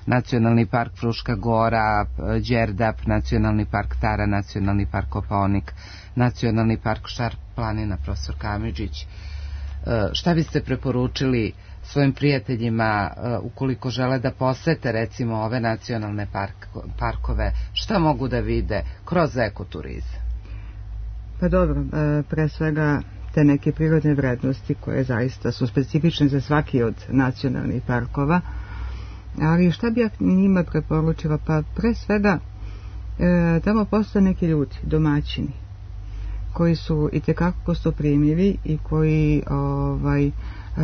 Nacionalni park Fruška Gora, Đerdap, Nacionalni park Tara, Nacionalni park Kopaonik, Nacionalni park Šar planina, profesor Kamidžić. E, šta biste preporučili svojim prijateljima uh, ukoliko žele da posete recimo ove nacionalne park, parkove, šta mogu da vide kroz ekoturizam? Pa dobro, uh, pre svega te neke prirodne vrednosti koje zaista su specifične za svaki od nacionalnih parkova, ali šta bi ja njima preporučila? Pa pre svega uh, tamo postoje neki ljudi, domaćini, koji su itekako gostoprimljivi i koji ovaj Uh,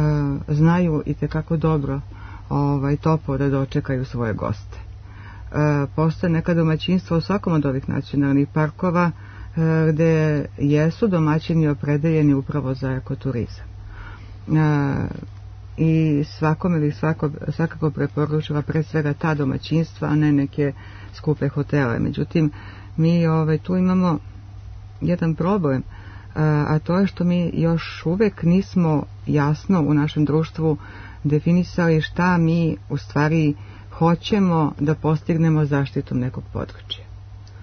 znaju i tekako dobro ovaj, toplo da dočekaju svoje goste. Uh, postoje neka domaćinstva u svakom od ovih nacionalnih parkova uh, gde jesu domaćini opredeljeni upravo za ekoturizam. Uh, I svakome ili svako, svakako preporučila pre svega ta domaćinstva, a ne neke skupe hotele. Međutim, mi ovaj, tu imamo jedan problem, a to je što mi još uvek nismo jasno u našem društvu definisali šta mi u stvari hoćemo da postignemo zaštitom nekog područja.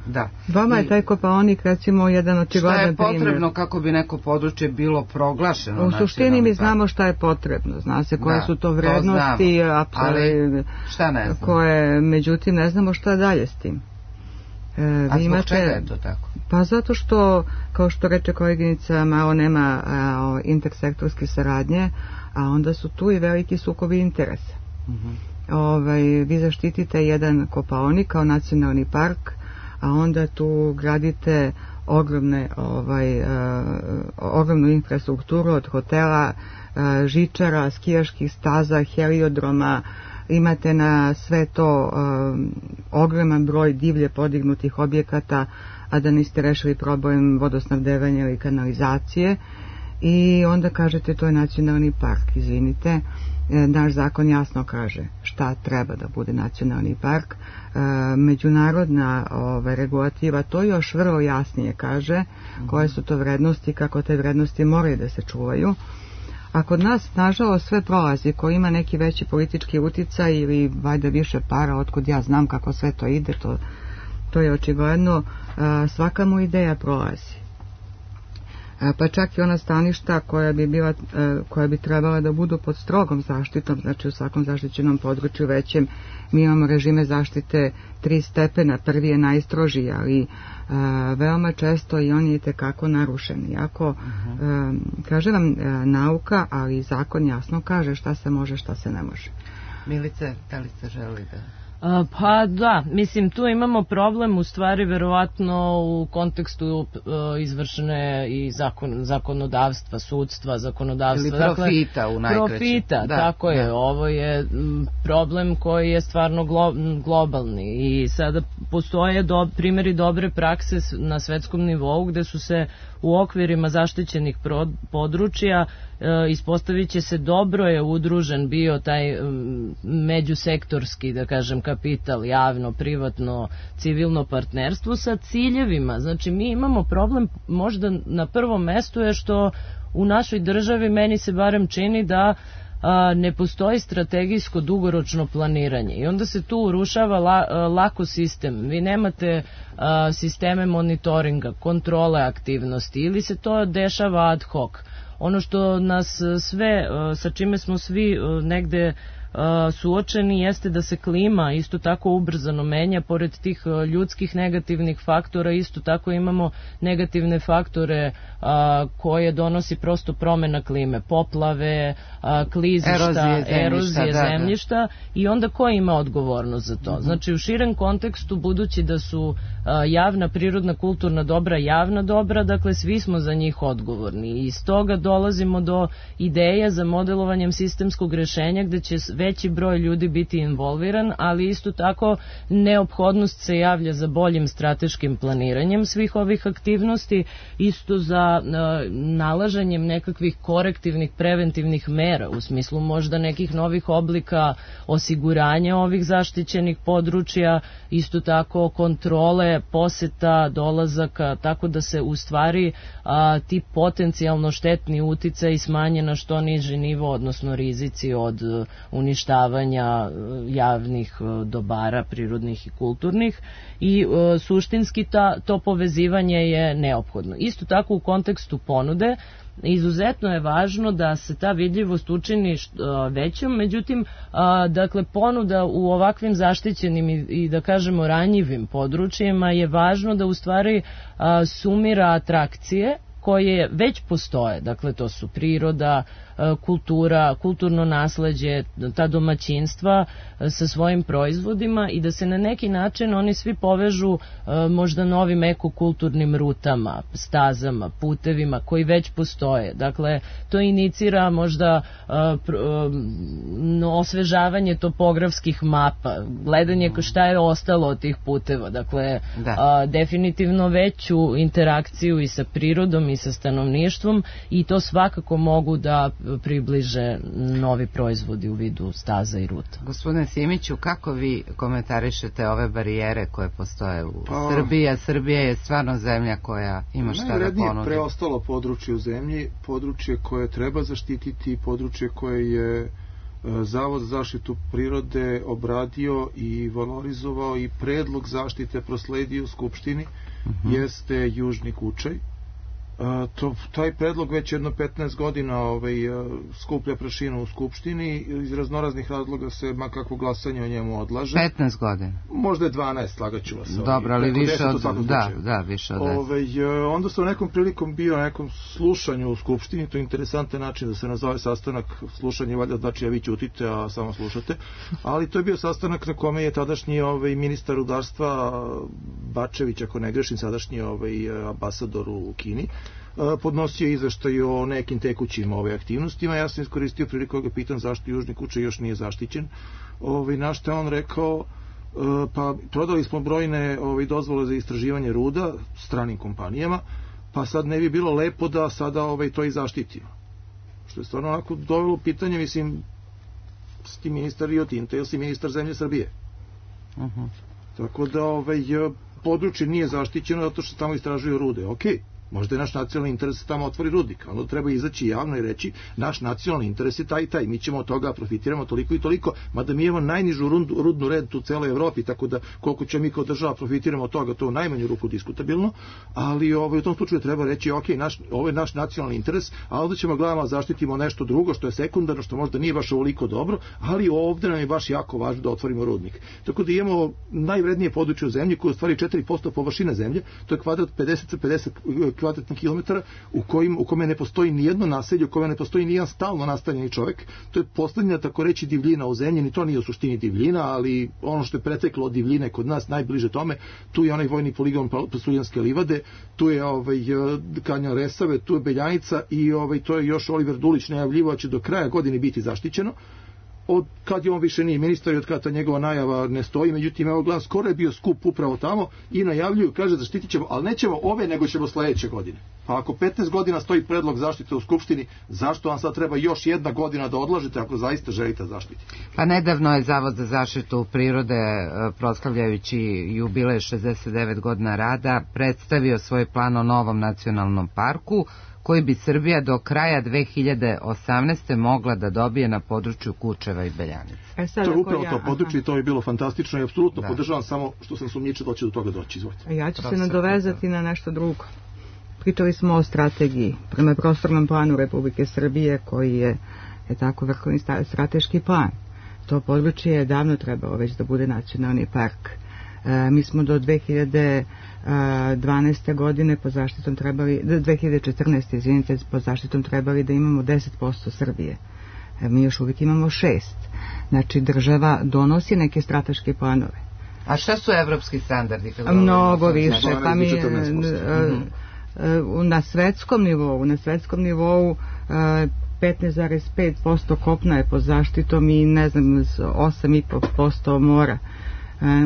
Da. Vama je taj Kopaonik recimo jedan očigledan primjer. Šta je potrebno kako bi neko područje bilo proglašeno? U suštini mi znamo šta je potrebno. Zna se koje da, su to vrednosti, to ali šta ne znam? Koje, međutim, ne znamo šta dalje s tim. E, A zbog čega je to tako? Pa zato što, kao što reče koleginica, malo nema a, intersektorske saradnje, a onda su tu i veliki sukobi interesa. Uh-huh. Ovaj, vi zaštitite jedan Kopaonik kao nacionalni park, a onda tu gradite ogromne, ovaj, a, ogromnu infrastrukturu od hotela, a, žičara, skijaških staza, heliodroma. Imate na sve to um, ogroman broj divlje podignutih objekata, a da niste rešili problem vodosnabdevanja ili kanalizacije, i onda kažete to je nacionalni park. Izvinite, e, naš zakon jasno kaže šta treba da bude nacionalni park. E, međunarodna ove, regulativa to još vrlo jasnije kaže, mm-hmm. koje su to vrednosti, kako te vrednosti moraju da se čuvaju. A kod nas, nažalost, sve prolazi. Ko ima neki veći politički uticaj ili vajda više para, otkud ja znam kako sve to ide, to, to je očigledno, svaka mu ideja prolazi. Pa čak i ona staništa koja bi, bila, koja bi trebala da budu pod strogom zaštitom, znači u svakom zaštićenom području većem, mi imamo režime zaštite tri stepena, prvi je najstrožiji, ali a, veoma često i on je itekako narušen. Iako, uh-huh. a, kaže vam a, nauka, ali zakon jasno kaže šta se može, šta se ne može. Milice, da li ste želi da... Pa da, mislim tu imamo problem u stvari verovatno u kontekstu uh, izvršene i zakon, zakonodavstva, sudstva, zakonodavstva. Ili profita dakle, u najkraćem. Profita, da, tako je. Da. Ovo je m, problem koji je stvarno glo, globalni i sada postoje do, primjeri dobre prakse na svetskom nivou gde su se u okvirima zaštićenih pro, područja e, ispostavit će se dobro je udružen bio taj m, međusektorski, da kažem, kapital, javno, privatno, civilno partnerstvo sa ciljevima. Znači mi imamo problem možda na prvom mestu je što u našoj državi meni se barem čini da a, ne postoji strategijsko dugoročno planiranje i onda se tu urušava la, a, lako sistem. Vi nemate a, sisteme monitoringa, kontrole aktivnosti ili se to dešava ad hoc. Ono što nas sve, a, sa čime smo svi a, negde suočeni jeste da se klima isto tako ubrzano menja, pored tih ljudskih negativnih faktora isto tako imamo negativne faktore a, koje donosi prosto promena klime, poplave, a, klizišta, erozije zemljišta, erozije da, zemljišta da. I onda ko ima odgovornost za to? Uh-huh. Znači u širem kontekstu budući da su a, javna, prirodna, kulturna dobra javna dobra, dakle svi smo za njih odgovorni i iz toga dolazimo do ideja za modelovanjem sistemskog rešenja gde će veći broj ljudi biti involviran, ali isto tako neophodnost se javlja za boljim strateškim planiranjem svih ovih aktivnosti, isto za uh, nalaženjem nekakvih korektivnih, preventivnih mera, u smislu možda nekih novih oblika osiguranja ovih zaštićenih područja, isto tako kontrole, poseta, dolazaka, tako da se u stvari uh, ti potencijalno štetni uticaji smanje na što niži nivo, odnosno rizici od uh, uništavanja javnih dobara, prirodnih i kulturnih i e, suštinski ta, to povezivanje je neophodno. Isto tako u kontekstu ponude izuzetno je važno da se ta vidljivost učini većom, međutim, a, dakle, ponuda u ovakvim zaštićenim i, i da kažemo ranjivim područjima je važno da u stvari a, sumira atrakcije koje već postoje, dakle to su priroda, kultura, kulturno nasleđe, ta domaćinstva sa svojim proizvodima i da se na neki način oni svi povežu možda novim ekokulturnim rutama, stazama, putevima koji već postoje. Dakle, to inicira možda osvežavanje topografskih mapa, gledanje šta je ostalo od tih puteva, dakle da. definitivno veću interakciju i sa prirodom i sa stanovništvom i to svakako mogu da približe novi proizvodi u vidu staza i ruta. Gospodine Simiću, kako vi komentarišete ove barijere koje postoje u pa, Srbiji, a Srbija je stvarno zemlja koja ima šta da ponudi? Najvrednije preostalo područje u zemlji, područje koje treba zaštititi, područje koje je Zavod za zaštitu prirode obradio i valorizovao i predlog zaštite prosledio u Skupštini, uh-huh. jeste Južni Kučaj. Uh, to, taj predlog već jedno petnaest godina ovaj, uh, skuplja prašinu u Skupštini, iz raznoraznih razloga se makakvo glasanje o njemu odlaže. petnaest godina? Možda je dvanaest, slagaću vas. Dobro, ali više od, da, da, više od deset. Ovaj, uh, onda sam nekom prilikom bio na nekom slušanju u Skupštini, to je interesantan način da se nazove sastanak, slušanje valjda znači ja vi ćutite, a samo slušate, ali to je bio sastanak na kome je tadašnji ovaj, ministar rudarstva Bačević, ako ne grešim, sadašnji ovaj, ambasador u Kini, podnosio izveštaj o nekim tekućim ove aktivnostima. Ja sam iskoristio priliku da ga pitam zašto Južni Kučaj još nije zaštićen. Ovaj, na što je on rekao, pa prodali smo brojne ovaj, dozvole za istraživanje ruda stranim kompanijama, pa sad ne bi bilo lepo da sada ovaj, to i zaštitimo. Što je stvarno onako dovelo pitanje, mislim, si ti ministar Rio Tinto ili si ministar zemlje Srbije. Uh-huh. Tako da ovaj, područje nije zaštićeno zato što tamo istražuju rude. Okej. Okay. Možda je naš nacionalni interes da tamo otvori rudnik. Onda treba izaći javno i reći naš nacionalni interes je taj i taj. Mi ćemo od toga profitiramo toliko i toliko, mada mi imamo najnižu rudnu, rudnu rentu u celoj Evropi, tako da koliko će mi kao država profitiramo od toga, to u najmanju ruku diskutabilno, ali ovaj, u tom slučaju treba reći ok, naš, ovo je naš nacionalni interes, a ovdje ćemo gledamo zaštitimo nešto drugo što je sekundarno, što možda nije baš ovoliko dobro, ali ovdje nam je baš jako važno da otvorimo rudnik. Tako da imamo najvrednije područje u zemlji koje ostvari četiri posto površine zemlje, to je kvadrat pedeset sa pedeset kvadratnih kilometara u kojim u kome ne postoji ni jedno naselje, u kome ne postoji ni jedan stalno nastanjeni čovjek. To je poslednja tako reći divljina u zemlji, ni to nije u suštini divljina, ali ono što je preteklo od divljine kod nas najbliže tome, tu je onaj vojni poligon Pasuljanske livade, tu je ovaj Kanjon Resave, tu je Beljanica i ovaj to je još Oliver Dulić najavljivao da će do kraja godine biti zaštićeno. Od kad je on više nije ministar i od kada ta njegova najava ne stoji, međutim evo gledam, skoro je bio skup upravo tamo i najavljuju, kaže zaštitit ćemo, ali nećemo ove nego ćemo sledeće godine. Pa ako petnaest godina stoji predlog zaštite u Skupštini, zašto vam sad treba još jedna godina da odlažete ako zaista želite zaštiti? Pa nedavno je Zavod za zaštitu prirode, proslavljajući jubilej šezdeset devet godina rada, predstavio svoj plan o novom nacionalnom parku koji bi Srbija do kraja dve hiljade osamnaeste mogla da dobije na području Kučeva i Beljanice. E to je upravo ja, to područje i to je bilo fantastično i apsolutno da. Podržavam, samo što sam sumnjičio da će do toga doći. Izvolite. Ja ću se nadovezati na nešto drugo. Pričali smo o strategiji prema prostornom planu Republike Srbije koji je, je tako vrhovni strateški plan. To područje je davno trebalo već da bude nacionalni park. E, mi smo do dve hiljade dvanaeste godine po zaštitom trebali, dve hiljade četrnaeste izvinite, po zaštitom trebali da imamo deset posto Srbije. E, mi još uvijek imamo šest. Znači država donosi neke strateške planove. A šta su evropski standardi? Mnogo više. Pa mi, na svetskom nivou, na svetskom nivou petnaest zarez pet posto kopna je pod zaštitom i ne znam, osam zarez pet posto mora.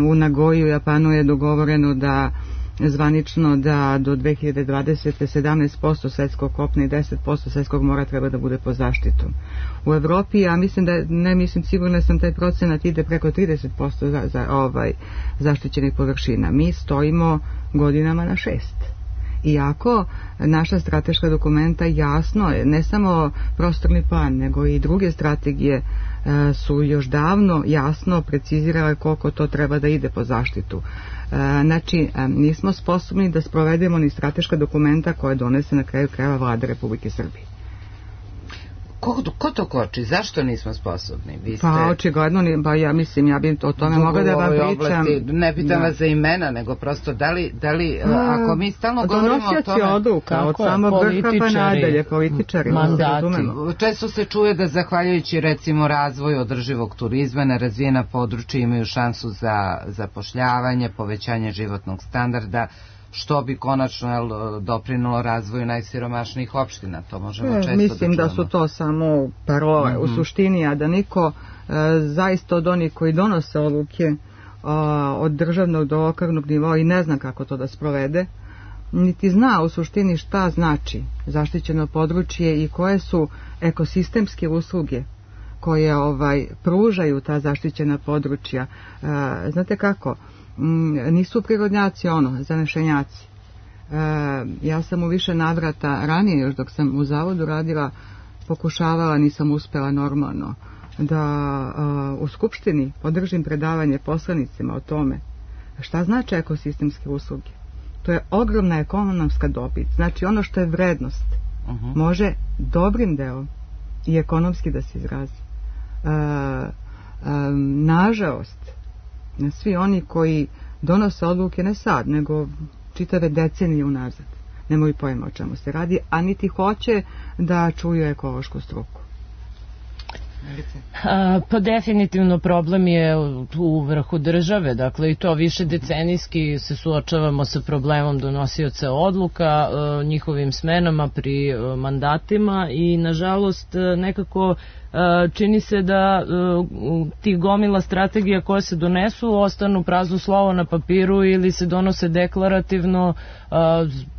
U Nagoji u Japanu je dogovoreno da zvanično da do dve hiljade dvadesete sedamnaest posto svetskog kopna i deset posto svetskog mora treba da bude pod zaštitom. U Evropi, ja mislim da, ne mislim, sigurno sam taj procenat ide preko trideset posto za, za ovaj, zaštićenih površina. Mi stojimo godinama na šest. Iako naša strateška dokumenta jasno je, ne samo prostorni plan, nego i druge strategije e, su još davno jasno precizirale koliko to treba da ide po zaštitu. E, znači, e, nismo sposobni da sprovedemo ni strateška dokumenta koje donese na kraju krajeva Vlada Republike Srbije. Ko, ko to koči? Zašto nismo sposobni? Vi ste... Pa očigledno, pa ja mislim, ja bih o tome mogla da vam pričam. Oblasti, ne pitam vas za imena, nego prosto da li, da li a, ako mi stalno govorimo o tome... odluka, od samog vrha pa nadalje, političari. Mandati. Često se čuje da zahvaljujući recimo razvoju održivog turizma nerazvijena područja imaju šansu za zapošljavanje, povećanje životnog standarda, što bi konačno jel, doprinulo razvoju najsiromašnijih opština. To možemo često Mislim da, da su to samo parole mm-hmm. u suštini, a da niko e, zaista od onih koji donose odluke e, od državnog do lokalnog nivoa i ne zna kako to da sprovede, niti zna u suštini šta znači zaštićeno područje i koje su ekosistemske usluge koje ovaj pružaju ta zaštićena područja. E, znate kako? Nisu prirodnjaci ono, zanešenjaci. E, ja sam u više navrata ranije, još dok sam u zavodu radila, pokušavala, nisam uspela normalno, da a, u Skupštini podržim predavanje poslanicima o tome šta znači ekosistemske usluge. To je ogromna ekonomska dobit. Znači ono što je vrednost uh-huh. može dobrim delom i ekonomski da se izrazi. E, e, nažalost, svi oni koji donose odluke ne sad, nego čitave decenije unazad, nemaju pojma o čemu se radi, a niti hoće da čuju ekološku struku. A, pa definitivno problem je u vrhu države, dakle i to više decenijski se suočavamo sa problemom donosioca odluka, a, njihovim smenama pri a, mandatima i nažalost nekako čini se da ti gomila strategija koje se donesu ostanu prazno slovo na papiru ili se donose deklarativno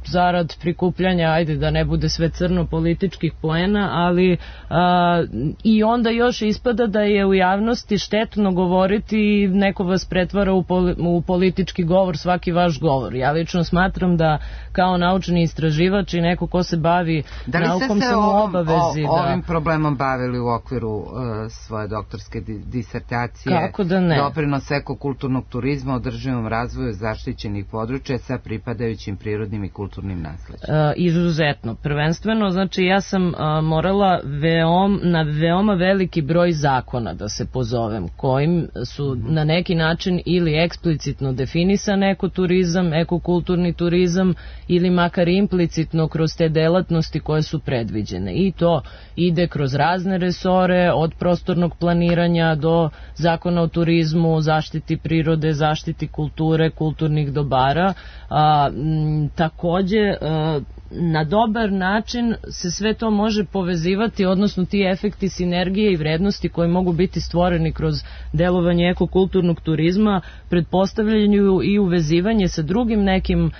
zarad prikupljanja, ajde da ne bude sve crno, političkih poena, ali a, i onda još ispada da je u javnosti štetno govoriti i neko vas pretvara u, poli, u politički govor svaki vaš govor. Ja lično smatram da kao naučni istraživač i neko ko se bavi da naukom sam u obavezi. O, ovim problemom bavili u okviru uh, svoje doktorske di, disertacije? Kako da ne? Doprinos ekokulturnog turizma, održivom razvoju zaštićenih područja sa pripadajućim prirodnim i kulturnim nasleđem. Uh, izuzetno. Prvenstveno, znači ja sam uh, morala veom, na veoma veliki broj zakona da se pozovem, kojim su na neki način ili eksplicitno definisan ekoturizam, ekokulturni turizam ili makar implicitno kroz te delatnosti koje su predviđene. I to ide kroz razne resore, od prostornog planiranja do zakona o turizmu, zaštiti prirode, zaštiti kulture, kulturnih dobara. A, m, takođe, a, na dobar način se sve to može povezivati, odnosno ti efekti sinergije i vrednosti koji mogu biti stvoreni kroz delovanje ekokulturnog turizma pretpostavljaju i uvezivanje sa drugim nekim uh,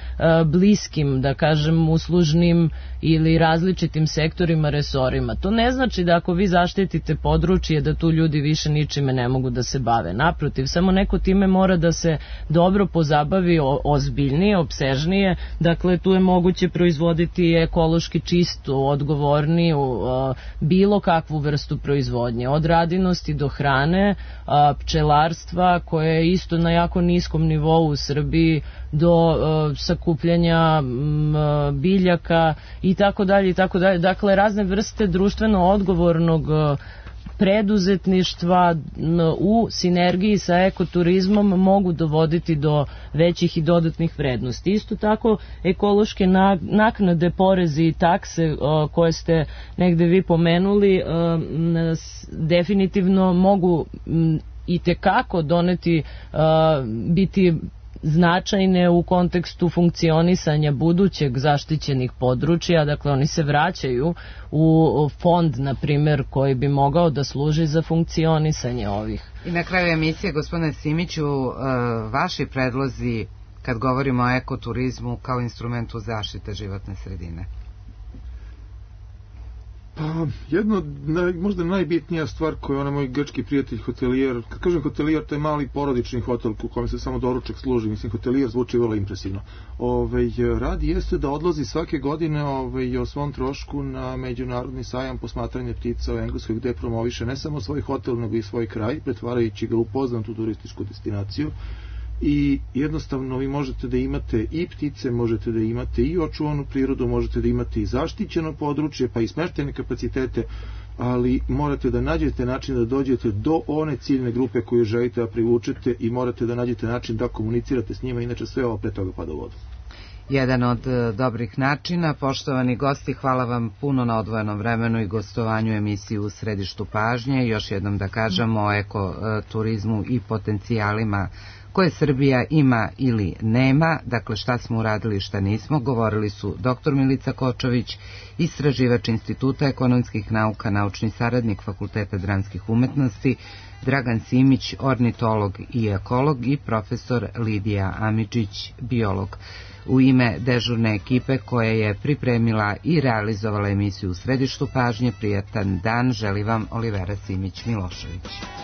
bliskim, da kažem, uslužnim ili različitim sektorima, resorima. To ne znači da ako vi zaštitite područje da tu ljudi više ničime ne mogu da se bave. Naprotiv, samo neko time mora da se dobro pozabavi, o, ozbiljnije, opsežnije. Dakle, tu je moguće proizvoditi ekološki čistu, odgovorniju uh, bilo kakvu vrstu proizvodnje, od radinosti do hrane, uh, pčelarstva koje je isto na jako niskom nivou u Srbiji, do uh, sakupljanja um, biljaka i tako dalje i tako dalje. Dakle, razne vrste društveno odgovornog uh, preduzetništva u sinergiji sa ekoturizmom mogu dovoditi do većih i dodatnih vrednosti. Isto tako, ekološke naknade, porezi i takse koje ste negde vi pomenuli definitivno mogu i tekako doneti, biti značajne u kontekstu funkcionisanja budućeg zaštićenih područja, dakle oni se vraćaju u fond, na primjer, koji bi mogao da služi za funkcionisanje ovih. I na kraju emisije, gospodine Simiću, vaši predlozi kad govorimo o ekoturizmu kao instrumentu zaštite životne sredine? Pa, jedno, naj, možda najbitnija stvar koju je onaj moj grčki prijatelj hotelijer, kad kažem hotelijer, to je mali porodični hotel u kojem se samo doručak služi, mislim, hotelijer zvuči vrlo impresivno. Ove, radi jeste da odlazi svake godine ove, o svom trošku na međunarodni sajam posmatranja ptica u Engleskoj, gde promoviše ne samo svoj hotel, nego i svoj kraj, pretvarajući ga u poznatu turističku destinaciju. I jednostavno vi možete da imate i ptice, možete da imate i očuvanu prirodu, možete da imate i zaštićeno područje, pa i smeštene kapacitete, ali morate da nađete način da dođete do one ciljne grupe koju želite da privučete i morate da nađete način da komunicirate s njima, inače sve ovo pre toga pada u vodu. Jedan od dobrih načina. Poštovani gosti, hvala vam puno na odvojenom vremenu i gostovanju emisiju U središtu pažnje. Još jednom da kažemo o ekoturizmu i potencijalima koje Srbija ima ili nema, dakle šta smo uradili i šta nismo, govorili su doktor Milica Kočović, istraživač Instituta ekonomskih nauka, naučni saradnik Fakulteta dramskih umetnosti, Dragan Simić, ornitolog i ekolog, i profesor Lidija Amidžić, biolog. U ime dežurne ekipe koja je pripremila i realizovala emisiju U središtu pažnje, prijatan dan želi vam Olivera Simić-Milošević.